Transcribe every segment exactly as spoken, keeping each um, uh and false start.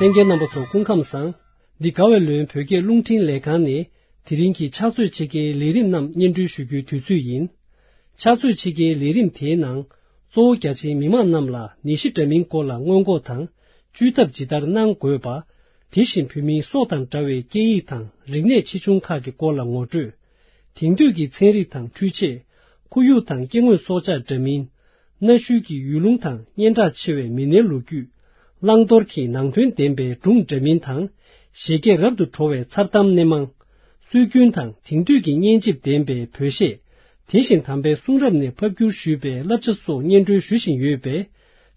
ལྷན་རྒྱས་རྣམ་པ་ཚོ་སྐུ་ཁམས་བཟང་། འདི་དགའ་བའི་ལོན་བོད་སྐད་རླུང་འཕྲིན་ལས་ཁང་ནས་དེ་རིང་གི་ཕྱག་ཚོད་ཕྱེད་ཀའི་ལས་རིམ་རྣམས་སྙན་སྒྲོན་ཞུ་རྒྱུའི་དུས་ཚོད་ཡིན། ཕྱག་ཚོད་ཕྱེད་ཀའི་ལས་རིམ་དེའི་ནང་། གཙོ་བོ་རྒྱ་ཆེའི་མི་མང་རྣམས་ལ་ནད་གཞི་འདྲ་མིན་སྐོར་ལ་སྔོན་འགོག་དང་། བཅོས་ཐབས་ཇི་ལྟར་གནང་དགོས་པ། དེ་བཞིན་བོད་མིའི་སྲོག་དང་འདྲ་བའི་སྐད་ཡིག་དང་རིག་གནས་ཆེ་ཆུང་ཁག་གི་སྐོར་ལ་ངོ་སྤྲོད། དེང་དུས་ཀྱི་ཚན་རིག་དང་འཕྲུལ་ཆས། ཁོར་ཡུག་དང་སྐྱེ་དངོས་སྲོག་ཆགས་འདྲ་མིན། གནའ་ཤུལ་གྱི་ཡུལ་ལུང་དང་སྙན་གྲགས་ཆེ་བའི་མི་སྣའི་ལོ་རྒྱུས། བླང་དོར་གྱི་ནང་དོན་ལྡན་པའི་སྒྲུང་འདྲ་མིན་དང་། བཞད་གད་རབ་ཏུ་བྲོ་བའི་མཚར་གཏམ་སྣེ་མང་། སྲོལ་རྒྱུན་དང་དེང་དུས་ཀྱི་སྙན་འཇེབས་ལྡན་པའི་བོད་གཞས། དེ་བཞིན་དམ་པའི་གསུང་རབ་ནས་ཕབ་བསྒྱུར་ཞུས་པའི་བསླབ་བྱ་སོགས་སྙན་སྒྲོན་ཞུ་བཞིན་ཡོད་པས།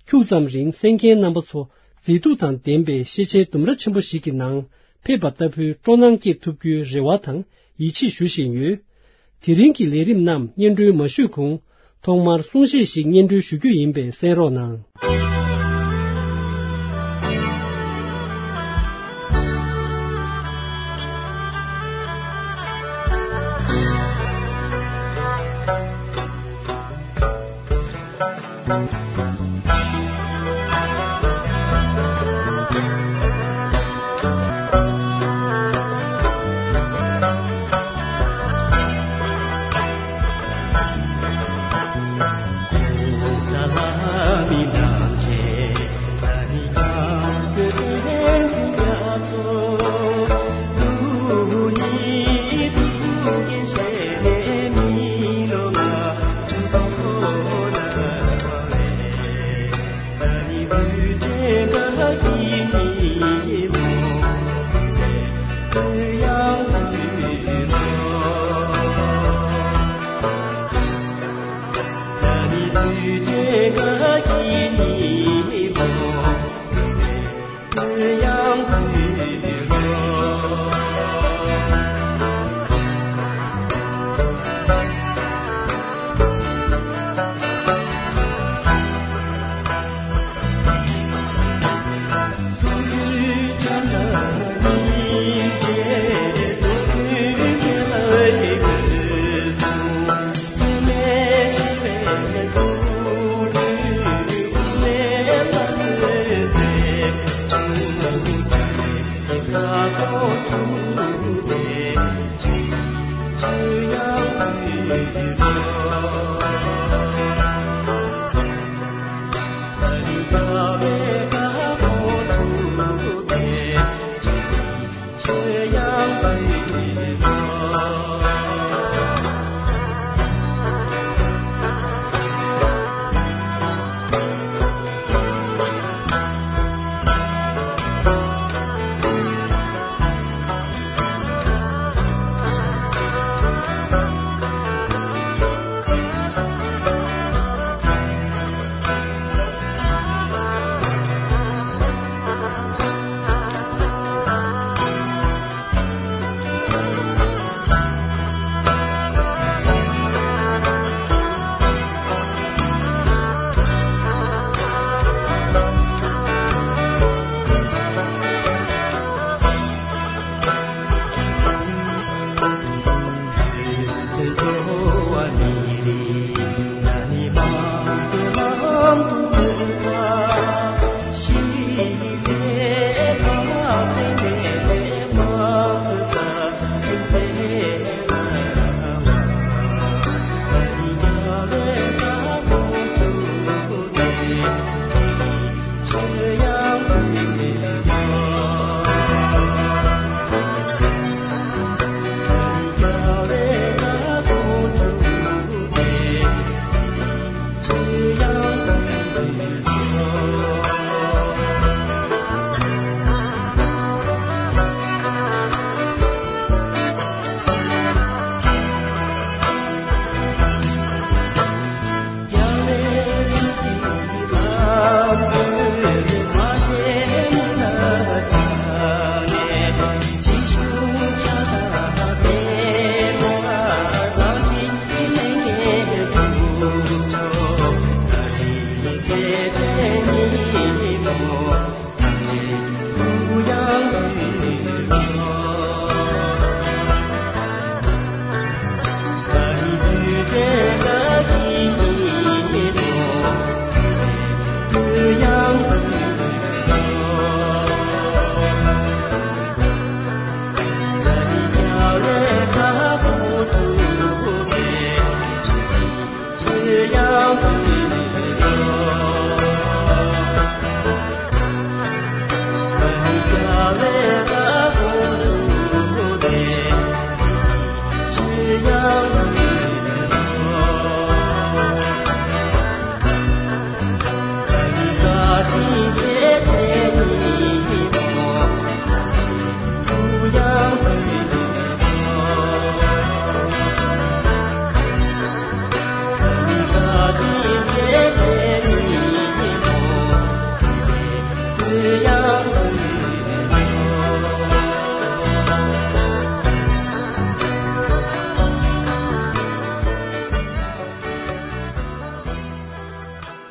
ཁྱུག་ཙམ་རིང་གསན་མཁན་རྣམ་པ་ཚོ་མཛེས་སྡུག་དང་ལྡན་པའི་ཤེས་བྱའི་ལྡུམ་ར་ཆེན་པོ་ཞིག་གི་ནང་ཕེབས་པ་ལྟ་བུའི་སྤྲོ་སྣང་སྐྱེས་ཐུབ་རྒྱུའི་རེ་བ་དང་ཡིད་ཆེས་ཞུ་བཞིན་ཡོད། དེ་རིང་གི་ལས་རིམ་རྣམས་སྙན་སྒྲོན་མ་ཞུས་གོང་། ཐོག་མར་གསུང་བཤད་ཞིག་སྙན་སྒྲོན་ཞུ་རྒྱུ་ཡིན་པས་གསན་རོགས་གནང་།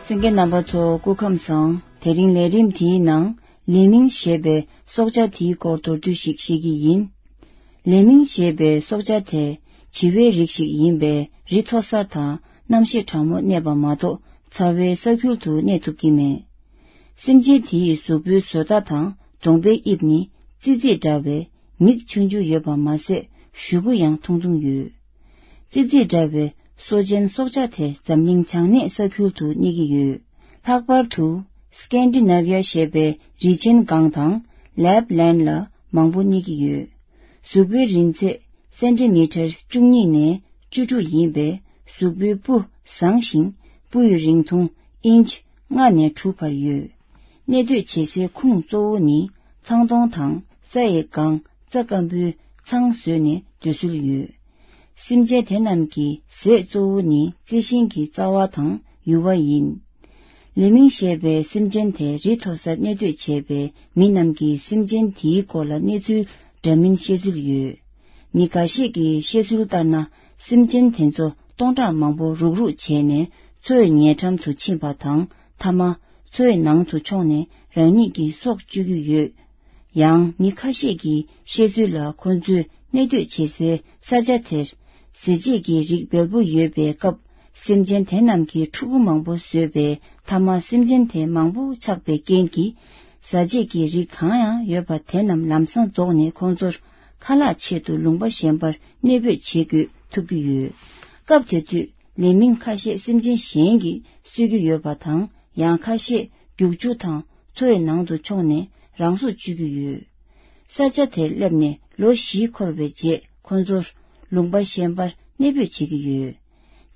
གསན་མཁན་རྣམ་པ་ཚོ་སྐུ་ཁམས་བཟང་། དེ་རིང་ལས་རིམ་དེའི་ནང་ལེ་མིང་ཞེས་པའི་སྲོག་ཆགས་དེའི་སྐོར་མདོར་བསྡུས་ཤིག་བཤད་ཀྱི་ཡིན། ལེ་མིང་ཞེས་པའི་སྲོག་ཆགས་དེ་བྱི་བའི་རིགས་ཤིག་ཡིན་པས། རི་མཐོ་སར་དང་གནམ་གཤིས་གྲང་མོར་གནས་པ་མ་གཏོགས་ཚ་བའི་ས་ཁུལ་དུ་གནས་ཐུབ་ཀྱི་མེད། སེམས་ཅན་དེ་ཡི་གཟུགས་པོའི་བཟོ་ལྟ་དང་གདོང་པའི་དབྱིབས་ནི་ཙི་ཙི་འདྲ་བའི་མིག་ཆུང་ཆུང་ཡོད་པ་མ་ཟད། གཞུ་གུ་ཡང་ཐུང་ཐུང་ཡོད། ཙི་ཙི་འདྲ་བའི་སོ་ཆེན་སྲོག་ཆགས་དེ་འཛམ་གླིང་བྱང་སྣེ་ས་ཁུལ་དུ་གནས་ཀྱི་ཡོད། ལྷག་པར་དུ་སྐན་ཌི་ནེ་བི་ཡ་ཞེས་པའི་རི་ཆེན་སྒང་དང་ལེབ་ལན་ལ་མང་པོ་གནས་ཀྱི་ཡོད། གཟུགས་པོའི་རིང་ཚད་སེན་ཊི་མི་ཊར་བཅུ་གཉིས་ནས་བཅུ་དྲུག་ཡིན་པས། གཟུགས་པོའི་སྤུ་བཟང་ཞིང་། སྤུ་ཡི་རིང་ཐུང་ཨིན་ཆི་ལྔ་ནས་དྲུག་བར་ཡོད། གནས་སྡོད་བྱེད་སའི་ཁུངས་གཙོ་བོ་ནི་ཚང་སྟོང་དང་ས་ཡི་སྒང་རྩྭ་སྐམ་པོའི་ཚང་བཟོས་ནས་སྡོད་སྲོལ་ཡོད། སེམས་ཅན་དེ་རྣམས་ཀྱི་ཟས་གཙོ་བོ་ནི་རྩི་ཤིང་གི་རྩ་བ་དང་ཡུ་བ་ཡིན། ལེ་མིང་ཞེས་པའི་སེམས་ཅན་དེ་རི་མཐོ་སར་གནས་སྡོད་བྱེད་པའི་མི་རྣམས་ཀྱིས་སེམས་ཅན་དེའི་སྐོར་ལ་གནས་ཚུལ་འདྲ་མིན་བཤད་ཚུལ་ཡོད། མི་འགའ་ཤས་ཀྱིས་བཤད་ཚུལ་ལྟར་ན། སེམས་ཅན་དེ་ཚོ་སྟོང་ཕྲག་མང་པོ་རུག་རུག་བྱས་ནས་མཚོའི་ཉེ་འགྲམ་དུ་ཕྱིན་པ་དང་། མཐའ་མ་མཚོའི་ནང་དུ་མཆོངས་ནས་རང་ཉིད་ཀྱི་སྲོག་གཅོད་ཀྱི་ཡོད། ཡང་མི་ཁ་ཤས་ཀྱིས་བཤད་ཚུལ་ལ། ཁོ་ཚོས་གནས་སྡོད་བྱེད་སའི་ས་ཆ་དེར་ཟས་བཅད་ཀྱི་རིགས་འབེལ་པོ་ཡོད་པའི་སྐབས། སེམས་ཅན་དེ་རྣམས་ཀྱིས་ཕྲུ་གུ་མང་པོ་བཟོས་པས། མཐའ་མ་སེམས་ཅན་དེ་མང་པོ་ཆགས་པའི་རྐྱེན་གྱིས། ཟས་བཅད་ཀྱི་རིགས་གང་ཡང་ཡོད་པ་དེ་རྣམས་ལམ་སང་རྫོགས་ནས། ཁོང་ཚོར་ཁ་ལག་ཆེད་དུ་ལུང་པ་གཞན་པར་གནས་སྤོས་བྱེད་དགོས་ཐུབ་ཀྱི་ཡོད། སྐབས་དེ་དུས་ལེ་མིང་ཁ་ཤས་སེམས་ཅན་གཞན་གྱིས་གསོད་ཀྱི་ཡོད་པ་དང་། ཡང་ཁ་ཤས་རྒྱུག་ཆུ་དང་མཚོ་ཡི་ནང་དུ་མཆོངས་ནས་རང་སྲོག་གཅོད་ཀྱི་ཡོད། ས་ཆ་དེར་སླེབས་ནས་ལོ་བཞི་འཁོར་བའི་རྗེས། ཁོ་ཚོར་ལུང་པ་གཞན་པར་གནས་སྤོས་བྱེད་ཀྱི་ཡོད།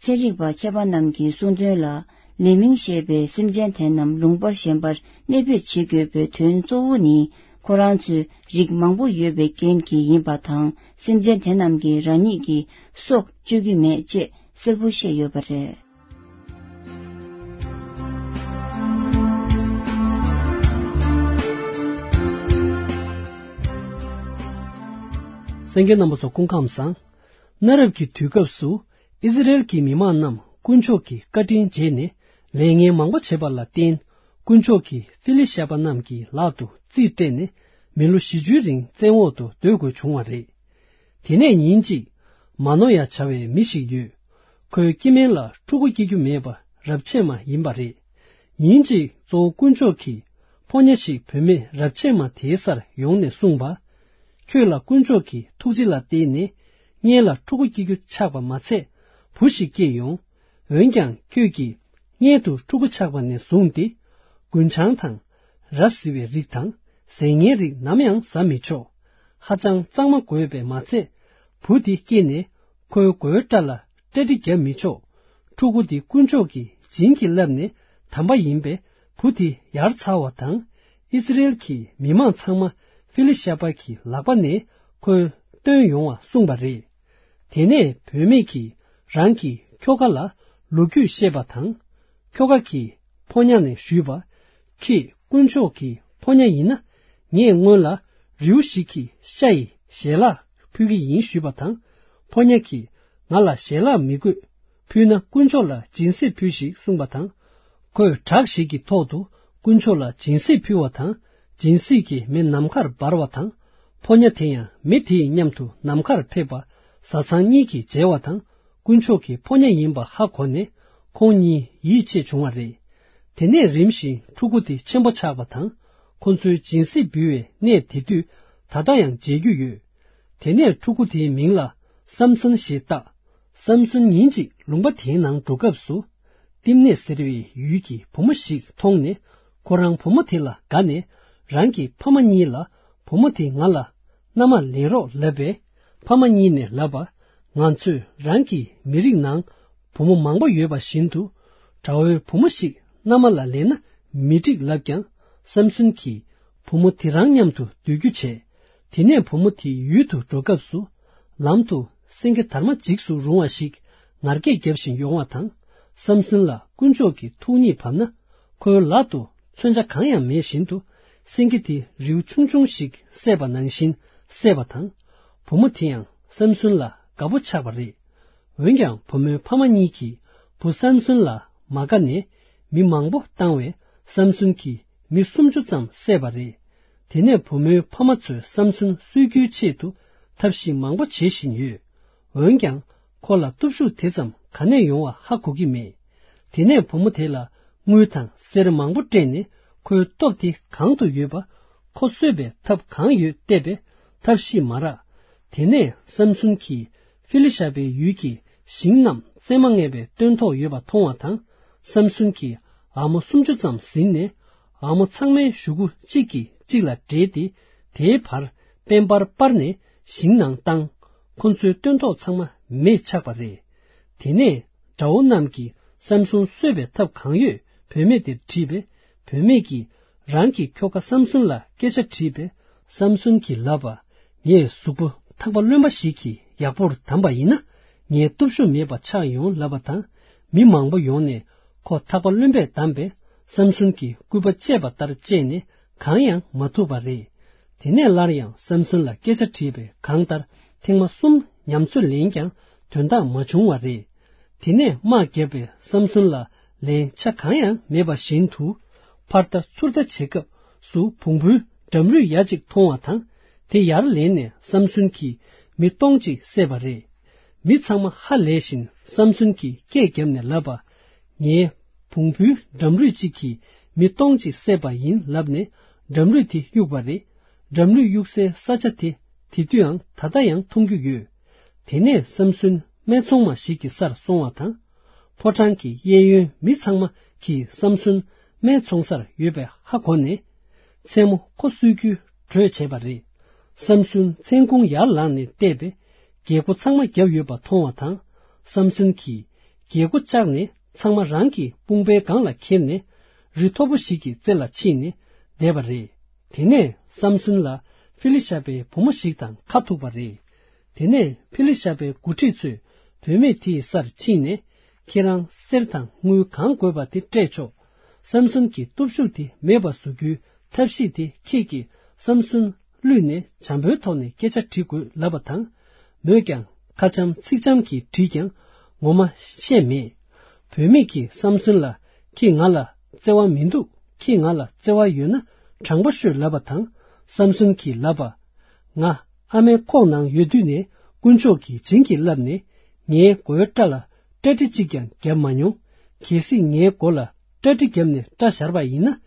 ཚན་རིག་པ་མཁས་པ་རྣམས་ཀྱིས་གསུངས་དོན་ལ། ལེ་མིང་ཞེས་པའི་སེམས་ཅན་དེ་རྣམས་ལུང་པ་གཞན་པར་གནས་སྤོས་བྱེད་དགོས་པའི་དོན་གཙོ་བོ་ནི། ཁོ་རང་ཚོའི་རིགས་མང་པོ་ཡོད་པའི་རྐྱེན་གྱིས་ཡིན་པ་དང་། སེམས་ཅན་དེ་རྣམས་ཀྱིས་རང་ཉིད་ཀྱི་སྲོག་གཅོད་ཀྱི་མེད་ཅེས་གསལ་པོ་བཤད་ཡོད་པ་རེད། གསན་མཁན་རྣམ་པ་ཚོ་སྐུ་ཁམས་བཟང་། གནའ་རབས་ཀྱི་དུས་སྐབས་སུ། ཨི་ཟི་རེལ་གྱི་མི་མང་རྣམས་དཀོན་མཆོག་གི་བཀའ་དྲིན་བརྗེད་ནས། ལས་ངན་མང་པོ་བྱས་པ་ལ་བརྟེན། དཀོན་མཆོག་གིས་ཧྥི་ལི་ཤ་པ་རྣམས་ཀྱི་ལག་ཏུ་རྩིས་སྤྲད་ནས། མི་ལོ་བཞི་བཅུའི་རིང་བཙན་འོག་ཏུ་སྡོད་དགོས་བྱུང་བ་རེད། དེ་ནས་ཉིན་གཅིག། མ་ནོ་ཡ་བྱ་བའི་མི་ཞིག་ཡོད། ཁོའི་སྐྱེ་དམན་ལ་ཕྲུ་གུ་སྐྱེ་རྒྱུ་མེད་པ་རབ་ཆད་མ་ཡིན་པ་རེད། ཉིན་གཅིག་གཙོ་བོ་དཀོན་མཆོག་གིས་ཕོ་ཉ་ཞིག་བུད་མེད་རབ་ཆད་མ་དེའི་སར་ཡོང་ནས་གསུངས་པ། ཁྱོད་ལ་དཀོན་མཆོག་གི་ཐུགས་རྗེ་ལ་བརྟེན་ནས། སྔོན་ལ་ཕྲུ་གུ་སྐྱེ་རྒྱུ་ཆགས་པ་མ་ཚད། བུ་ཞིག་སྐྱེས་ཡོང་། འོན་ཀྱང་ཁྱོད་ཀྱིས་སྔོན་དུ་ཕྲུ་གུ་ཆགས་པ་ནས་བཟུང་སྟེ། རྒུན་ཆང་དང་། ར་བཟི་བའི་རིགས་དང་། ཟས་ངན་རིགས་ནམ་ཡང་ཟ་མི་ཆོག། ཧ་ཅང་གཙང་མ་དགོས་པས་མ་ཚད། བུ་དེ་སྐྱེས་ནས་ཁོའི་མགོའི་སྐྲ་ལ་སྐྲ་དྲི་བརྒྱབ་མི་ཆོག། ཕྲུ་གུ་དེ་དཀོན་མཆོག་གིས་བྱིན་གྱིས་བརླབས་ནས་དམ་པ་ཡིན་པས། བུ་དེ་ཡར་ཚར་བ་དང་། ཨིསི་རེལ་གྱི་མི་མང་ཚང་མ་ཧྥི་ལི་ཤ་པ་གི་ལག་པ་ནས་ཁོས་བཏོན་ཡོང་བ་གསུངས་པ་རེད། དེ་ནས་བུད་མེད་ཀྱིས་རང་གི་ཁྱོ་ག་ལ་ལོ་རྒྱུས་བཤད་པ་དང་། ཁྱོ་ག་གིས་ཕོ་ཉ་ནས་ཞུས་པ། ཁྱེད་དཀོན་མཆོག་གི་ཕོ་ཉ་ཡིན་ན། ངས་སྔོན་ལ་རེའུ་ཞིག་གི་ཤ་ཡི་ཞལ་ལག་ཕུལ་གྱི་ཡིན་ཞུས་པ་དང་། ཕོ་ཉ་གིས་ང་ལ་ཞལ་ལག་མི་དགོས། ཕུལ་ན་དཀོན་མཆོག་ལ་སྦྱིན་སྲེག་ཕུལ་ཞིག་གསུངས་པ་དང་། ཁོས་བྲག་ཞིག་གི་ཐོག་ཏུ་དཀོན་མཆོག་ལ་སྦྱིན་སྲེག་ཕུལ་བ་དང་། སྦྱིན་སྲེག་གི་མེ་ནམ་མཁར་འབར་བ་དང་། ཕོ་ཉ་དེ་ཡང་མེ་དེའི་མཉམ་དུ་ནམ་མཁར་ཕེབས་པ། བཟའ་ཚང་གཉིས་ཀྱིས་མཇལ་བ་དང་། དཀོན་མཆོག་གི་ཕོ་ཉ་ཡིན་པ་ཧ་གོ་ནས། ཁོང་གཉིས་ཡིད་ཆེས་བྱུང་བ་རེད། དེ་ནས་རིམ་བཞིན་ཕྲུ་གུ་དེ་ཆེན་པོ་ཆགས་པ་དང་། ཁོ་ཚོའི་སྦྱིན་སྲེག་འབུལ་བའི་གནས་དེ་དུས་ད་ལྟ་ཡང་མཇལ་རྒྱུ་ཡོད། དེ་ནས་ཕྲུ་གུ་དེའི་མིང་ལ་སམ་སོན་ཞེས་བཏགས། སམ་སོན་ཉིན་གཅིག་ལུང་པ་དེའི་ནང་འགྲོ་སྐབས་སུ། ཏིམ་ནེ་ཟེར་བའི་ཡུལ་གྱི་བུ་མོ་ཞིག་མཐོང་ནས། ཁོ་རང་བུ་མོ་དེ་ལ་དགའ་ནས། རང་གི་ཕ་མ་གཉིས་ལ་བུ་མོ་དེ་ང་ལ་མནའ་མ་ལེན་རོགས་ལབ་པས། ཕ་མ་གཉིས་ནས་ལབ་པ། ང་ཚོས་རང་གི་མི་རིགས་ནང་བུ་མོ་མང་པོ་ཡོད་པ་བཞིན་དུ། དགྲ་བོའི་བུ་མོ་ཞིག་མནའ་མ་ལ་ལེན་ན་མི་འགྲིག་ལབ་ཀྱང་། སམ་སོན་གྱིས་བུ་མོ་དེ་རང་མཉམ་དུ་སྡོད་རྒྱུ་བྱས། དེ་ནས་བུ་མོ་དེའི་ཡུལ་དུ་འགྲོ་སྐབས་སུ། ལམ་དུ་སེང་གེ་དར་མ་འཇིགས་སུ་རུང་བ་ཞིག་ངར་སྐད་བརྒྱབ་བཞིན་ཡོང་བ་དང་། སམ་སོན་ལ་དཀོན་མཆོག་གི་ཐུགས་ཉིད་བབས་ན། ཁོའི་ལག་ཏུ་མཚོན་ཆ་གང་ཡང་མེད་བཞིན་དུ། སེང་གེ་དེ་རེའུ་ཆུང་ཆུང་ཞིག་བསད་པ་ནང་བཞིན་བསད་པ་དང་། བུ་མོ་དེ་ཡང་སམ་སོན་ལ་དགའ་པོ་ཆགས་པ་རེད། འོན་ཀྱང་བུ་མོའི་ཕ་མ་གཉིས་ཀྱིས་བུ་སམ་སོན་ལ་མ་དགའ་ནས། མི་མང་པོ་བཏང་བས་སམ་སུན་གྱིས་མི་སུམ་ཅུ་ཙམ་བསད་པ་རེད། དེ་ནས་བུ་མོའི་ཕ་མ་ཚོས་སམ་སུན་གསོད་རྒྱུའི་ཆེད་དུ་ཐབས་ཤེས་མང་པོ་བྱེད་བཞིན་ཡོད། འོན་ཀྱང་ཁོ་ལ་སྟོབས་ཤུགས་དེ་ཙམ་ག་ནས་ཡོང་བ་ཧ་གོ་གི་མེད། དེ་ནས་བུ་མོ་དེ་ལ་དངུལ་དང་གསེར་མང་པོ་སྤྲད་ནས་ཁོའི་སྟོབས་དེ་གང་དུ་ཡོད་པ་ཁོ་གསོད་པའི་ཐབས་གང་ཡོད་བལྟས་པས་ཐབས་ཤེས་མ་རག། དེ་ནས་སམ་སུན་གྱིས་ཧྥི་ལི་ཤ་པའི་ཡུལ་གྱི་ཞིང་རྣམས་རྩེ་མ་ངེས་པའི་སྟོན་ཐོག་ཡོད་པ་མཐོང་བ་དང་། སམ་སུན་གྱིས་ཨ་མོ་སུམ་ཅུ་ཙམ་ཟིན་ནས་ཨ་མོ་ཚང་མའི་གཞུ་གུ་གཅིག་གིས་གཅིག་ལ་འབྲེལ་ཏེ་དེའི་བར་པད་འབར་སྤར་ནས་ཞིང་ནང་བཏང་། ཁོ་ཚོའི་སྟོན་ཐོག་ཚང་མ་མེས་ཆགས་པ་རེད། དེ་ནས་དགྲ་བོ་རྣམས་ཀྱིས་སམ་སུན་གསོད་པའི་ཐབས་གང་ཡོད་བུད་མེད་དེར་དྲིས་པས། བུད་མེད་ཀྱིས་རང་གི་ཁྱོ་ག་སམ་སུན་ལ་སྐད་ཆ་དྲིས་པས། སམ་སུན་གྱིས་ལབ་པ། ངས་གཟུགས་པོ་ཐག་པ་རློན་པ་ཞིག་གིས་ཡག་པོར་བསྡམས་པ་ཡིན་ན་ངའི་སྟོབས་ཤུགས་མེད་པ་ཆགས་ཡོང་ལབ་པ་དང་། མི་མང་པོ་ཡོང་ནས་ཁོ་ཐག་པ་རློན་པས་བསྡམས་པས། སམ་སུན་གྱིས་སྐུད་པ་བཅད་པ་ལྟར་བཅད་ནས་གང་ཡང་མ་ཐུབ་པ་རེད། དེ་ནས་སླར་ཡང་སམ་སུན་ལ་སྐད་ཆ་དྲིས་པས་གང་ལྟར་ཐེངས་མ་གསུམ་ཉམས་ཚོད་ལེན་ཀྱང་དོན་དག་མ་བྱུང་བ་རེད། དེ་ནས་དམག་བརྒྱབ་པས་སམ་སུན་ལ་ལན་ཆ་གང་ཡང་མེད་པ་བཞིན་དུ། ཕར་ལྟ་ཚུར་ལྟ་བྱེད་སྐབས་སུ་བོང་བུའི་འགྲམ་རུས་ཡ་གཅིག་མཐོང་བ་དང་། དེ་ཡར་ལེན་ནས་སམ་སུན་གྱིས་མི་སྟོང་གཅིག་བསད་པ་རེད། མི་ཚང་མ་ཧ་ལས་བཞིན་སམ་སུན་གྱིས་སྐད་བརྒྱབ་ནས་ལབ་པ། ངའི་བོང་བུའི་འགྲམ་རུས་གཅིག་གིས་མི་སྟོང་གཅིག་བསད་པ་ཡིན་ལབ་ནས་འགྲམ་རུས་དེ་གཡུགས་པ་རེད། འགྲམ་རུས་གཡུགས་སའི་ས་ཆ་དེ་དེ་དུས་ཡང་ད་ལྟ་ཡང་མཐོང་རྒྱུ་ཡོད། དེ་ནས་སམ་སུན་སྨད་འཚོང་མ་ཞིག་གི་སར་སོང་བ་དང་། ཕོ་བྲང་གི་གཡས་གཡོན་མི་ཚང་མ་གིས་སམ་སུན་སྨད་འཚོང་སར་ཡོད་པའི་ཧ་གོ་ནས། མཚན་མོ་ཁོ་གསོད་རྒྱུའི་གྲོས་བྱས་པ་རེད། སམ་སུན་མཚན་གུང་ཡར་ལངས་ནས་བལྟས་པས། རྒྱལ་སྒོ་ཚང་མ་བརྒྱབ་ཡོད་པ་མཐོང་བ་དང་། སམ་སུན་གྱིས་རྒྱལ་སྒོ་བཅག་ནས་ཚང་མ་རང་གི་དཔུང་པའི་སྒང་ལ་ཁྱེར་ནས་རི་མཐོ་པོ་ཞིག་གི་རྩེ་ལ་ཕྱིན་ནས་བསྡད་པ་རེད། དེ་ནས་སམ་སུན་ལ་ཧྥི་ལི་ཤ་པའི་བུ་མོ་ཞིག་དང་ཁ་ཐུག་པ་རེད། དེ་ནས་ཧྥི་ལི་ཤ་པའི་འགོ་ཁྲིད་ཚོས་བུད་མེད་དེའི་སར་ཕྱིན་ནས། ཁྱེད་རང་གསེར་དང་དངུལ་གང་དགོས་པ་དེ་སྤྲད་ཆོག་སམ་སུན་གྱི་སྟོབས་ཤུགས་དེ་མེད་པ་བཟོ་རྒྱུའི་ཐབས་ཤེས་དེ་ཁྱེད་ཀྱིས་སམ་སུན་བསླུས་ནས་བྱམས་པོའི་ཐོག་ནས་སྐད་ཆ་དྲི་དགོས་ལབ་པ་དང་། མོས་ཀྱང་ཁ་འཆམ་ཚིག་འཆམ་གྱིས་དྲིས་ཀྱང་ངོ་མ་བཤད་མེད། བུད་མེད་ཀྱིས་སམ་སུན་ལ། ཁྱེད་ང་ལ་བརྩེ་བ་མི་འདུག་ཁྱེད་ང་ལ་བརྩེ་བ་ཡོད་ན་དྲང་པོ་ཤོད་ལབ་པ་དང་། སམ་སུན་གྱིས་ལབ་པ། ང་ཨ་མའི་ཁོག་ནང་ཡོད་དུས་ནས་དཀོན་མཆོག་གིས་བྱིན་གྱིས་བརླབས་ནས་ངའི་མགོའི་སྐྲ་ལ་སྐྲ་གྲི་གཅིག་ཀྱང་བརྒྱབ་མ་མྱོང་། གལ་སྲིད་ངའི་མགོ་ལ་སྐྲ་གྲི་བརྒྱབ་ནས་སྐྲ་བཞར་བ་ཡིན་ན།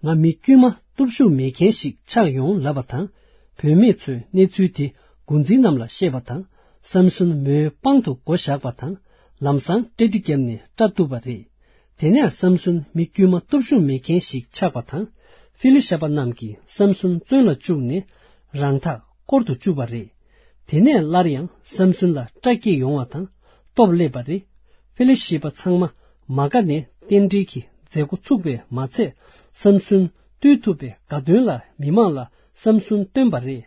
ང་མི་དཀྱུས་མ་སྟོབས་ཤུགས་མེད་མཁན་ཞིག་ཆགས་ཡོང་ལབ་པ་དང་། བུད་མེད་ཚོས་གནས་ཚུལ་དེ་འགོ་འཛིན་རྣམས་ལ་བཤད་པ་དང་། སམ་སུན་མོའི་པང་དུ་མགོ་བཞག་པ་དང་། ལམ་སང་སྐྲ་གྲི་བརྒྱབ་ནས་སྐྲ་གཏུབས་པ་རེད། དེ་ནས་སམ་སུན་མི་དཀྱུས་མ་སྟོབས་ཤུགས་མེད་མཁན་ཞིག་ཆགས་པ་དང་། ཧྥི་ལི་ཤ་པ་རྣམས་ཀྱིས་སམ་སུན་བཙོན་ལ་བཅུག་ནས་རང་ཐག་སྐོར་དུ་བཅུག་པ་རེད། དེ་ནས་སླར་ཡང་སམ་སུན་ལ་སྐྲག་སྐྱེས་ཡོང་བ་དང་སྟོབས་སླེབས་པ་རེད། ཧྥི་ལི་ཤ་པ་ཚང་མ་མ་དགའ་ནས་རྟེན་འབྲེལ་གྱི་མཛད་སྒོ་ཚུགས་པས་མ་ཚད། སམ་སུན་བཏུལ་ཐུབ་པའི་དགའ་སྟོན་ལ་མི་མང་ལ་སམ་སུན་བཏོན་པ་རེད།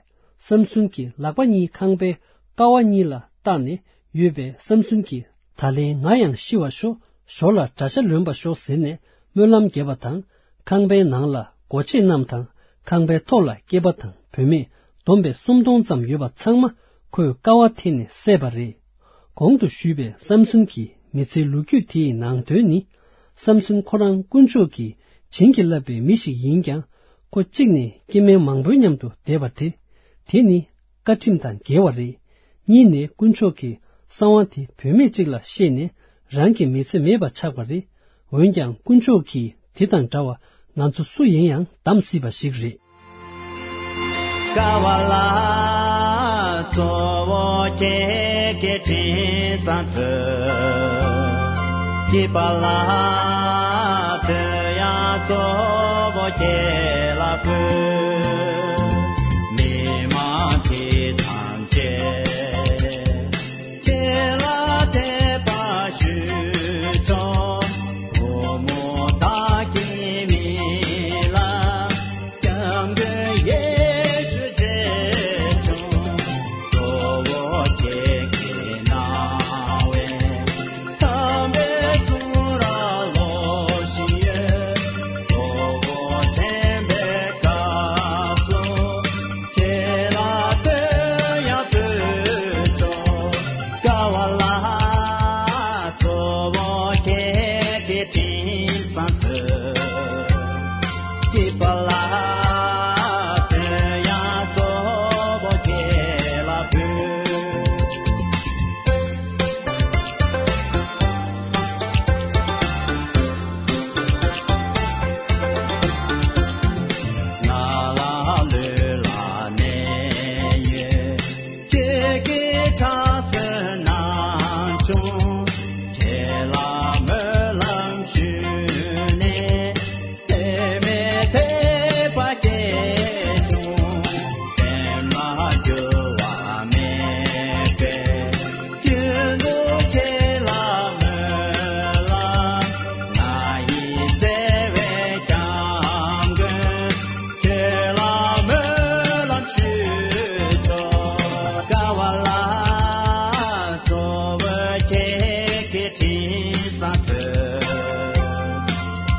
སམ་སུན་གྱི་ལག་པ་གཉིས་ཁང་པའི་ཀ་བ་གཉིས་ལ་བཏགས་ནས་ཡོད་པས། སམ་སུན་གྱིས་ད་ལན་ང་ཡང་ཤི་བར་ཤོག་ཞོར་ལ་དགྲ་ཤ་ལོན་པར་ཤོག་ཟེར་ནས་སྨོན་ལམ་བརྒྱབ་པ་དང་། ཁང་པའི་ནང་ལ་སྒོ་ཕྱེ་རྣམས་དང་། ཁང་པའི་ཐོག་ལ་སྐྱེས་པ་དང་བུད་མེད་བསྡོམས་པས་སུམ་སྟོང་ཙམ་ཡོད་པ་ཚང་མ་ཁོས་ཀ་བ་འཐེན་ནས་བསད་པ་རེད། གོང་དུ་ཞུས་པའི་སམ་སུན་གྱི་མི་ཚེའི་ལོ་རྒྱུས་དེའི་ནང་དོན་ནི། སམ་སུན་ཁོ་རང་དཀོན་མཆོག་གིས་བྱིན་གྱིས་བརླབས་པའི་མི་ཞིག་ཡིན་ཀྱང་། ཁོ་གཅིག་ནས་སྐྱེ་དམན་མང་པོའི་མཉམ་དུ་བསྡད་པ་དེ། དེ་ནི་བཀའ་ཁྲིམས་དང་འགལ་བ་རེད། གཉིས་ནས་དཀོན་མཆོག་གི་གསང་བ་དེ་བུད་མེད་ཅིག་ལ་བཤད་ནས་རང་གི་མི་ཚེ་མེད་པ་ཆགས་པ་རེད། འོན་ཀྱང་དཀོན་མཆོག་གིས་དེ་དང་འདྲ་བ་ང་ཚོ་སུ་ཡིན་ཡང་བདམས་སྲིད་པ་ཞིག་རེད། ཀ་བ་ལ་གཙོ་བོ་ཁྱེད་ཀྱི་དྲིན་སང་ཕུལ། སྐྱིད་པ་ལ་དོན་ཡང་གཙོ་བོ་ཁྱེད་ལ་ཕུལ། མི་མང་དེ་ཐམས་ཅད་ཁྱེད་ལ་དད་པ་ཞུ་ཆོག་བུ་མོ་བདག་གི་མིང་ལ། སྐྱབས་མགོན་ཡེ་ཤུ་ཆེ་ཆུང་། གཙོ་བོ་ཁྱེད་ཀྱིས་གནང་བའི། དམ་པའི་གསུང་རབ་ལོ་བཞི་ཡོད། གཙོ་བོ་དྲན་པའི་སྐབས་སུ།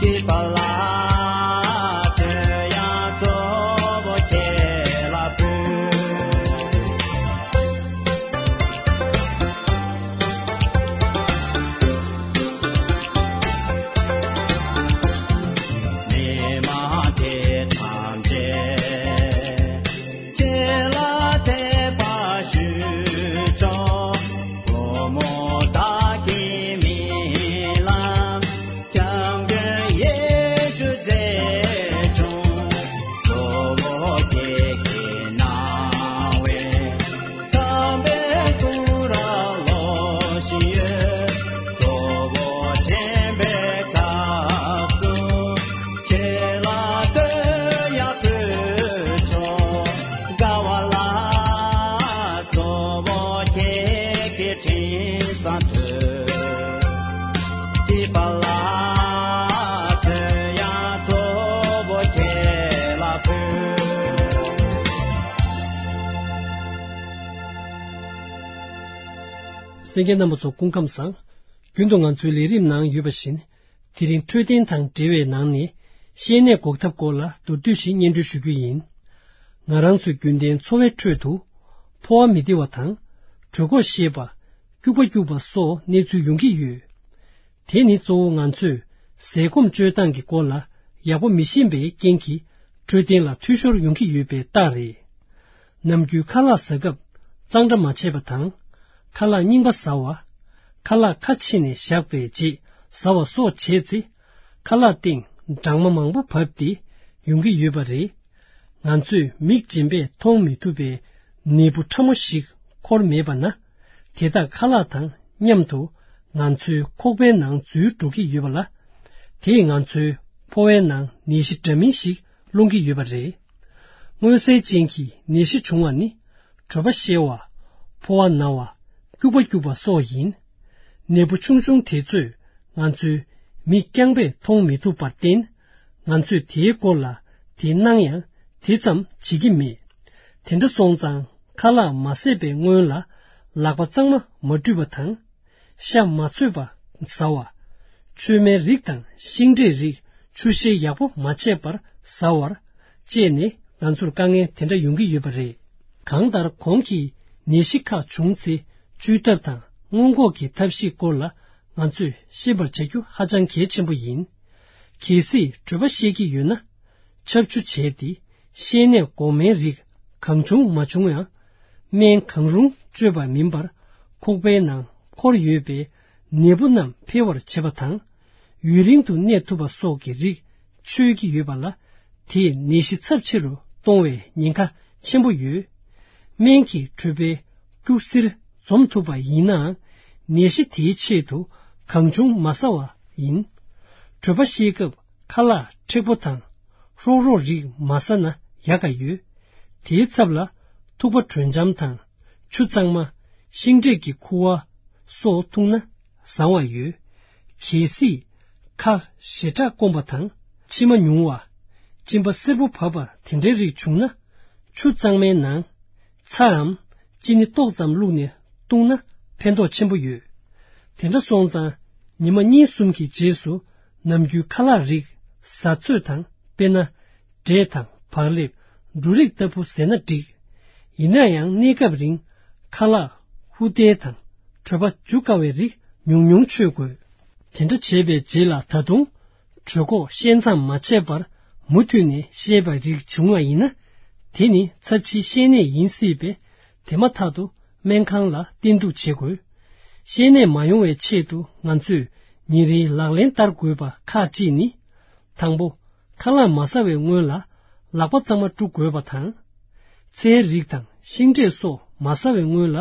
པ་ལ་དོན་ཡང་གཙོ་བོ་ཁྱེད་ལ་ཕུལ། མི་མང་དེ་ཐམས་ཅད་ཁྱེད་ལ་དད་པ་ཞུ་ཆོག་སྒོ་མོ་བདག་གི་མིང་ལ། སྐྱབས་མགོན་ཡེ་ཤུ་རྗེ་བྱུང་། གཙོ་བོ་ཁྱེད་ཀྱི་སྣང་བས། དམ་པའི་སྐུ་རབ་ལོ་བཞི་ཡོད། གཙོ་བོ་དྲན་པའི་སྐབས་སུ། ཁྱེད་ལ་བསྟོད་ཡང་བསྟོད་ཆོག་དགའ་བ་ལ། གཙོ་བོ་ཁྱེད་ཀྱི་དྲིན་བསམ་ཐོས། སྐྱིད་པ་ལ། དོན་ཡང་གཙོ་བོ་ཁྱེད་ལ་ཕུལ། གསན་མཁན་རྣམ་པ་ཚོ་སྐུ་ཁམས་བཟང་། རྒྱུན་དུ་ང་ཚོའི་ལས་རིམ་ནང་ཡོད་པ་བཞིན། དེ་རིང་འཕྲོད་བསྟེན་དང་འབྲེལ་བའི་ནང་ནས་བཤལ་ནད་འགོག་ཐབས་སྐོར་ལ་མདོར་བསྡུས་ཤིག་སྙན་སྒྲོན་ཞུ་རྒྱུ་ཡིན། ང་རང་ཚོའི་རྒྱུན་ལྡན་འཚོ་བའི་ཁྲོད་དུ་ཕོ་བ་མི་བདེ་བ་དང་། གྲོད་ཁོག་བཤལ་བ། སྐྱུག་པ་སྐྱུག་པ་སོགས་གནས་ཚུལ་ཡོང་གི་ཡོད། དེ་ནི་གཙོ་བོ་ང་ཚོས་ཟས་སྐོམ་སྤྱོད་སྟངས་ཀྱི་སྐོར་ལ་ཡག་པོ་མི་ཤེས་པའི་རྐྱེན་གྱིས་འཕྲོད་བསྟེན་ལ་འཐུས་ཤོར་ཡོང་གི་ཡོད་པའི་རྟགས་རེད། ནམ་རྒྱུན་ཁ་ལག་ཟ་སྐབས་གཙང་སྦྲ་མ་བྱས་པ་དང་། ཁ་ལག་རྙིང་པ་ཟ་བ། ཁ་ལག་ཁ་ཕྱེ་ནས་བཞག་པའི་རྗེས་ཟ་བ་སོགས་བྱས་ཚེ། ཁ་ལག་སྟེང་སྦྲང་མ་མང་པོ་བབས་ཏེ་ཡོང་གི་ཡོད་པ་རེད། ང་ཚོས་མིག་རྗེན་པས་མཐོང་མི་ཐུབ་པའི་ནད་འབུ་ཕྲ་མོ་ཞིག་འཁོར་མེད་པ་ན། དེ་དག་ཁ་ལག་དང་མཉམ་དུ་ང་ཚོའི་ཁོག་པའི་ནང་འཛུལ་འགྲོ་གི་ཡོད་པ་ལ། དེས་ང་ཚོའི་ཕོ་བའི་ནང་ནད་གཞི་འདྲ་མིན་ཞིག་སློང་གི་ཡོད་པ་རེད། མངོན་གསལ་ཅན་གྱི་ནད་གཞི་བྱུང་བ་ནི། གྲོད་པ་བཤལ་བ། ཕོ་བ་ན་བ། སྐྱུག་པ་སྐྱུག་པ་སོགས་ཡིན། ནད་འབུ་ཆུང་ཆུང་དེ་ཚོས་ང་ཚོའི་མིག་རྐྱང་པས་མཐོང་མི་ཐུབ་པར་བརྟེན། ང་ཚོས་དེའི་སྐོར་ལ་དེ་སྣང་ཡང་དེ་ཙམ་བྱེད་ཀྱི་མེད། དེ་འདྲ་སོང་ཙང་ཁ་ལག་མ་བཟས་པའི་སྔོན་ལ་ལག་པ་གཙང་མ་མ་བཀྲུས་པ་དང་། ཤ་མ་ཚོས་པ་ཟ་བ། མཆོད་མེའི་རིགས་དང་ཤིང་འབྲས་རིགས་ཆུ་བཤལ་ཡག་པོ་མ་བྱས་པར་ཟ་བར་བཅས་ནས་ང་ཚོར་དཀའ་ངལ་དེ་འདྲ་ཡོང་གི་ཡོད་པ་རེད། གང་ལྟར་གོང་གི་ནད་གཞི་ཁག་བྱུང་ཚེ་བཅོས་ཐབས་དང་སྔོན་འགོག་གི་ཐབས་ཤེས་སྐོར་ལ་ང་ཚོས་ཤེས་པར་བྱ་རྒྱུ་ཧ་ཅང་གལ་ཆེན་པོ་ཡིན། གལ་སྲིད་གྲོད་པ་བཤལ་གྱི་ཡོད་ན། ཆབ་ཆུ་བྱས་ཏེ་བཤལ་ནད་འགོག་སྨན་རིགས་གང་བྱུང་མ་བྱུང་ཡང་། སྨན་གང་རུང་སྤྱོད་པ་མིན་པར་ཁོག་པའི་ནང་འཁོར་ཡོད་པའི་ནད་འབུ་རྣམས་འཕེལ་བར་བྱེད་པ་དང་། ཡུན་རིང་དུ་གནས་ཐུབ་པ་སོགས་ཀྱི་རིགས་མཆོད་ཀྱི་ཡོད་པ་ལ། དེས་ནད་གཞི་ཚབས་ཆེ་རུ་གཏོང་བའི་ཉེན་ཁ་ཆེན་པོ་ཡོད། སྨན་གྱིས་གྲོད་པའི་སྐྱུག་བསིར་འཇོམས་ཐུབ་པ་ཡིན་ནའང་། ནད་གཞི་དེའི་ཆེད་དུ་གང་བྱུང་མ་ཟ་བ་ཡིན། གྲོད་པ་བཤལ་སྐབས་ཁ་ལག་མཁྲེགས་པོ་དང་། ཧྲོག་ཧྲོག་རིགས་མ་ཟ་ན་ཡག་ག་ཡོད། དེའི་ཚབ་ལ་ཐུག་པ་དྲོད་འཇམ་དང་། ཆུ་གཙང་མ། ཤིང་འབྲས་ཀྱི་ཁུ་བ་སོགས་འཐུང་ན་བཟང་བ་ཡོད། གལ་སྲིད་ཁ་ཞེ་དྲག་སྐོམ་པ་དང་། མཆི་མ་ཉུང་བ། གཅིན་པ་སེར་པོ་བབས་པ་དེ་འདྲའི་རིགས་བྱུང་ན། ཆུ་གཙང་མའི་ནང་ཚྭའམ་ཅི་ནི་ཏོག་ཙམ་བླུགས་ནས་བཏུང་ན་ཕན་ཐོགས་ཆེན་པོ་ཡོད། དེ་འདྲ་སོང་ཙང་ཉི་མ་གཉིས་གསུམ་གྱི་རྗེས་སུ་ནམ་རྒྱུན་ཁ་ལག་རིགས་ཟ་ཚོད་དང་། དཔེར་ན། འབྲས་དང་བག་ལེབ། འབྲུ་རིགས་ལྟ་བུ་ཟས་ན་འགྲིག་ཡིན་ན་ཡང་གནས་སྐབས་རིང་ཁ་ལག་ཧུར་བསྟན་དང་གྲོད་པ་འཇུ་དཀའ་བའི་རིགས་ཉུང་ཉུང་མཆོད་དགོས། དེ་འདྲ་བྱས་པའི་རྗེས་ལ་ད་དུང་གྲོད་ཁོག་བཤལ་མཚམས་མ་ཆད་པར་མུ་མཐུད་ནས་བཤལ་བའི་རིགས་བྱུང་བ་ཡིན་ན། དེ་ནི་ཚབས་ཆེའི་བཤལ་ནད་ཡིན་སྲིད་པས། དེ་མ་ཐག་ཏུ་སྨན་ཁང་ལ་བསྟེན་གཏུགས་བྱེད་དགོས། བཤལ་ནད་མ་ཡོང་བའི་ཆེད་དུ་ང་ཚོས་ཉིན་རེའི་ལག་ལེན་བསྟར་དགོས་པ་ཁག་ཅིག་ནི། དང་པོ། ཁ་ལག་མ་ཟ་བའི་སྔོན་ལ་ལག་པ་གཙང་མ་བཀྲུ་དགོས་པ་དང་། ཚལ་རིགས་དང་ཤིང་འབྲས་སོགས་མ་ཟ་བའི་སྔོན་ལ་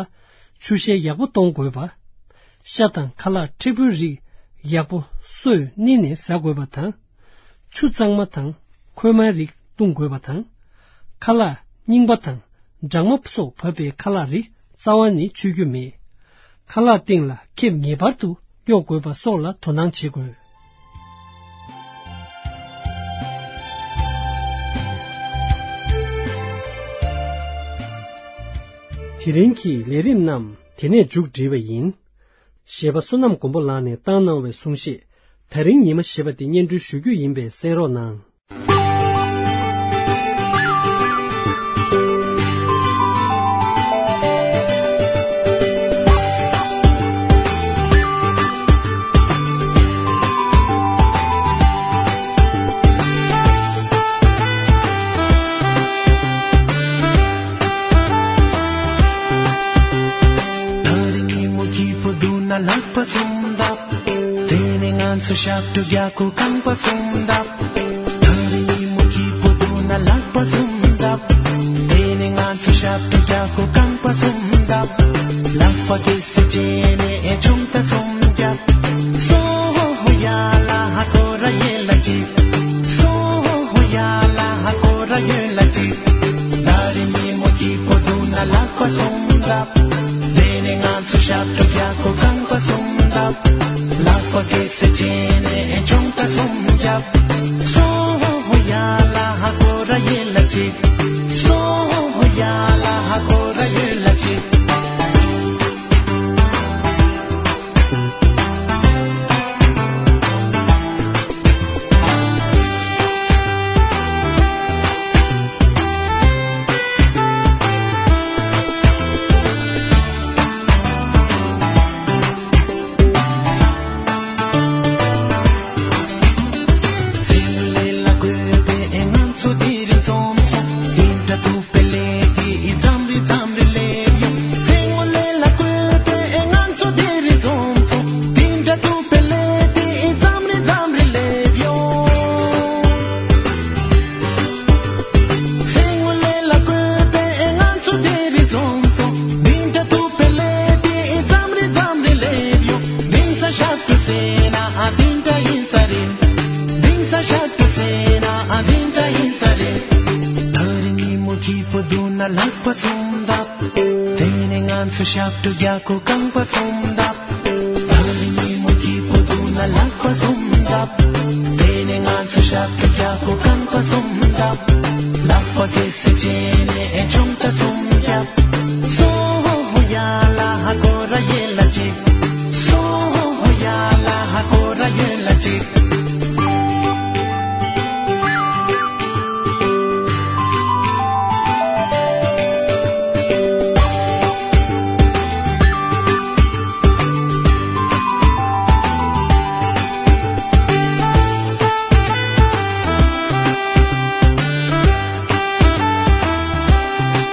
ཆུ་བཤལ་ཡག་པོ་གཏོང་དགོས་པ། ཤ་དང་ཁ་ལག་མཁྲེགས་པོའི་རིགས་ཡག་པོ་སོས་མནན་ནས་ཟ་དགོས་པ་དང་། ཆུ་གཙང་མ་དང་ཁོལ་མའི་རིགས་བཏུང་དགོས་པ་དང་། ཁ་ལག་རྙིང་པ་དང་སྦྲང་མ་སོགས་བབས་པའི་ཁ་ལག་རིགས་རྩ་བ་ནས་མཆོད་རྒྱུ་མེད། ཁ་ལག་སྟེང་ལ་ཁེབས་ངེས་པར་དུ་གཡོག་དགོས་པ་སོགས་ལ་དོ་སྣང་བྱེད་དགོས། དེ་རིང་གི་ལས་རིམ་རྣམས་དེ་ནས་མཇུག་སྒྲིལ་བ་ཡིན། གཞས་པ་བསོད་ནམས་མགོན་པོ་ལགས་ནས་བཏང་གནང་བའི་གསུང་བཤད། ད་རིང་ཉི་མ་ཞེས་པ་དེ་སྙན་སྒྲོན་ཞུ་རྒྱུ་ཡིན་པས་གསན་རོགས་གནང་། ད་རིང་ཉིན་མོ་སྐྱིད་པོ་འདུག་ན་ལག་པ་གསུམ་བརྡབ། དེ་ནས་ང་ཚོ་ཞབས་བྲོ་རྒྱག་གོ་རྐང་པ་གསུམ་བརྡབ། ད་རིང་ཉིན་མོ་སྐྱིད་པོ་འདུག་ན་ལག་པ་གསུམ་བརྡབ། དེ་ནས་ང་ཚོ་ཞབས་བྲོ་རྒྱག་གོ་རྐང་པ་གསུམ་བརྡབ། ལག་པ་གེ་སེ་བྱས་ནས་ཨེ་ཆུང་ད་གསུམ་རྒྱབ། སོ་ཧོ་ཧོ་ཡ་ལ་ཧ་ཀོ་ར་ཡེ་ལ་ཅི། སོ་ཧོ་ཧོ་ཡ་ལ་ཧ་ཀོ་ར་ཡེ་ལ་ཅི། ད་རིང་ཉིན་མོ་སྐྱིད་པོ་འདུག་ན་ལག་པ་གསུམ་བརྡབ། དེ་ནས་ང་ཚོ་ཞབས་བྲོ་རྒྱག་གོ་རྐང་པ་གསུམ་བརྡབ། ལག་པ་གེ་སེ་བྱས་ནས་ཨེ་ཆུང་ད་གསུམ་རྒྱབ། སོ་ཧོ་ཧོ་ཡ་ལ་ཧ་ཀོ་ར་ཡེ་ལ་ཅི། སོ་ཧོ་ཧོ་ཡ་ལ་ཧ་ཀོ་ར་ཡེ་ལ་ཅི། ད་རིང་ཉིན་མོ་སྐྱིད་པོ་འདུག་ན་ལག་པ་གསུམ་བརྡབ། དེ་ནས་ང་ཚོ་ཞབས་བྲོ་རྒྱག་གོ་རྐང་པ་གསུམ་བརྡབ། ད་རིང་ཉིན་མོ་སྐྱིད་པོ་འདུག་ན་ལག་པ་གསུམ་བརྡབ། དེ་ནས་ང་ཚོ་ཞབས་བྲོ་རྒྱག་གོ་རྐང་པ་གསུམ་བརྡབ། ལག་པ་གེ་སེ་བྱས་ནས་ཨེ་ཆུང་ད་གསུམ་རྒྱབ། སོ་ཧོ་ཧོ་ཡ་ལ་ཧ་ཀོ་ར་ཡེ་ལ་ཅི། སོ་ཧོ་ཧོ་ཡ་ལ་ཧ་ཀོ་ར་ཡེ་ལ་ཅི།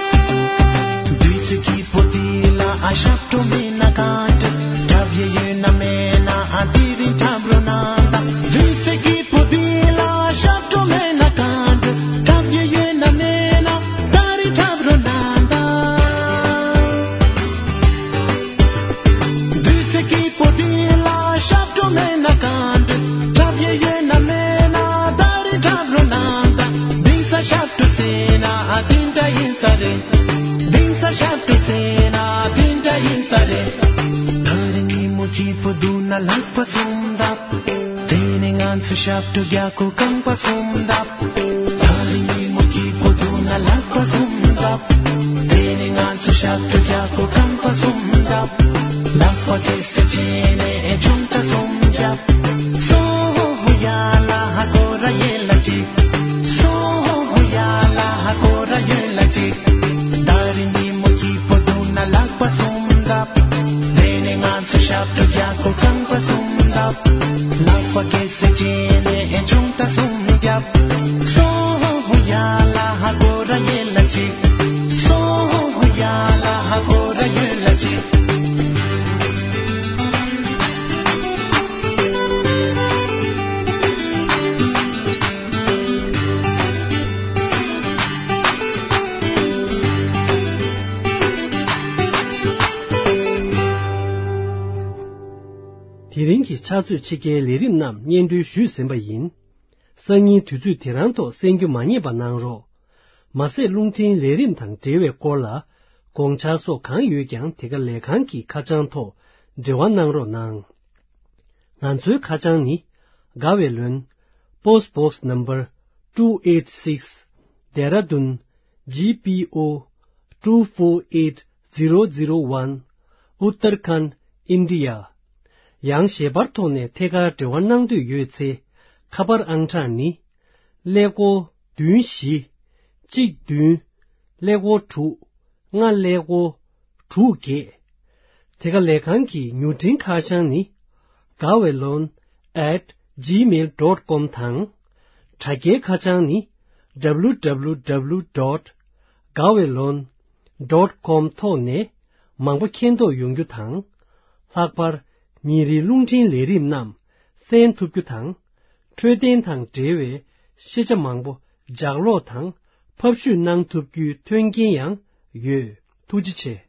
བདུད་རྩི་སྐྱིད་པོ་འདི་ལ་ཨ་ཞབས་བྲོ་མེད་ན་གང་འདྲ། འཁྲབ་ཡས་ཡོད་ན་མེད་ན་ཨ་དེ་རིང་འཁྲབ་རོགས་གནང་དང་། བདུད་རྩི་སྐྱིད་པོ་འདི་ལ་ཨ་ཞབས་བྲོ་མེད་ན་གང་འདྲ། འཁྲབ་ཡས་ཡོད་ན་མེད་ན་ད་རིང་འཁྲབ་རོགས་གནང་དང་། བདུད་རྩི་སྐྱིད་པོ་འདི་ལ་ཞབས་བྲོ་མེད་ན་གང་འདྲ། འཁྲབ་ཡས་ཡོད་ན་མེད་ན་ད་རིང་འཁྲབ་རོགས་གནང་དང་། འདི་ས་ཞབས་བྲོ་ཟེར་ན་ཨ་འདི་འདྲ་ཡིན་ས་རེད། འདི་ས་ཞབས་བྲོ་ཟེར་ན་འདི་འདྲ་ཡིན་ས་རེད། ད་རིང་ཉིན་མོ་སྐྱིད་པོ་འདུག་ན་ལག་པ་གསུམ་བརྡབ། དེ་ནས་ང་ཚོ་ཞབས་བྲོ་རྒྱག་གོ་རྐང་པ་གསུམ་བརྡབ། ད་རིང་ཉིན་མོ་སྐྱིད་པོ་འདུག་ན་ལག་པ་གསུམ་བརྡབ། དེ་ནས་ང་ཚོ་ཞབས་བྲོ་རྒྱག་གོ་རྐང་པ་གསུམ་བརྡབ། ལག་པ་གེ་སེ་བྱས་ནས་ཨེ་ཆུང་ད་གསུམ་རྒྱབ། སོ་ཧོ་ཧོ་ཡ་ལ་ཧ་ཀོ་ར་ཡེ་ལ་ཅི། སོ་ཧོ་ཧོ་ཡ་ལ་ཧ་ཀོ་ར་ཡེ་ལ་ཅི། ད་རིང་ཉིན་མོ་སྐྱིད་པོ་འདུག་ན་ལག་པ་གསུམ་བརྡབ། དེ་ནས་ང་ཚོ་ཞབས་བྲོ་རྒྱག་གོ་རྐང་པ་གསུམ་བརྡབ། ལག་པ་གེ་སེ་བྱས་ནས་ཨེ་ཆུང་ད་གསུམ་རྒྱབ། སོ་ཧོ་ཧོ་ཡ་ལ་ཧ་ཀོ་ར་ཡེ་ལ་ཅི། སོ་ཧོ་ཧོ་ཡ་ལ་ཧ་ཀོ་ར་ཡེ་ལ་ཅི། དེ་རིང་གི་ཕྱག་ཚོད་ཕྱེད་ཀའི་ལས་རིམ་རྣམས་སྙན་སྒྲོན་ཞུས་ཟིན་པ་ཡིན། སང་ཉིན་དུས་ཚོད་དེ་རང་ཐོག་གསན་རྒྱུ་མ་བསྙེལ་བ་གནང་རོགས། མ་ཟད་རླུང་འཕྲིན་ལས་རིམ་དང་འབྲེལ་བའི་སྐོར་ལ་དགོངས་འཆར་སོགས་གང་ཡོད་ཀྱང་དེ་ག་ལས་ཁང་གི་ཁ་བྱང་ཐོག་འབྲེལ་བ་གནང་རོགས་གནང་། ང་ཚོའི་ཁ་བྱང་ནི། དགའ་བའི་ལོན། Post Box Number two eight six, Dehradun G P O two four eight zero zero one, Uttarakhand, India. ཡང་ཞལ་པར་ཐོག་ནས་ཐད་ཀར་འབྲེལ་བ་གནང་འདོད་ཡོད་ཚེ། ཁ་པར་ཨང་གྲངས་ནི། ཀླད་ཀོར་བདུན་བཞི། གཅིག་བདུན། ཀླད་ཀོར་དྲུག་ལྔ་ཀླད་ཀོར་དྲུག་བརྒྱད། དེ་ག་ལས་ཁང་གི་མྱུར་འཕྲིན་ཁ་བྱང་ནི། Gawaylon at gmail dot com དང་། དྲ་རྒྱའི་ཁ་བྱང་ནི། W W W dot gawaylon dot com ཐོག་ནས་མང་པོ་མཁྱེན་རྟོགས་ཡོང་རྒྱུ་དང་། ལྷག་པར་ཉིན་རེའི་རླུང་འཕྲིན་ལས་རིམ་རྣམས་གསན་ཐུབ་རྒྱུ་དང་། འཕྲོད་བསྟེན་དང་འབྲེལ་བའི་ཤེས་བྱ་མང་པོ་ལྗགས་ཀློག་དང་ཕབ་བཤུས་གནང་ཐུབ་རྒྱུའི་མཐུན་རྐྱེན་ཡང་ཡོད། ཐུགས་རྗེ་ཆེ།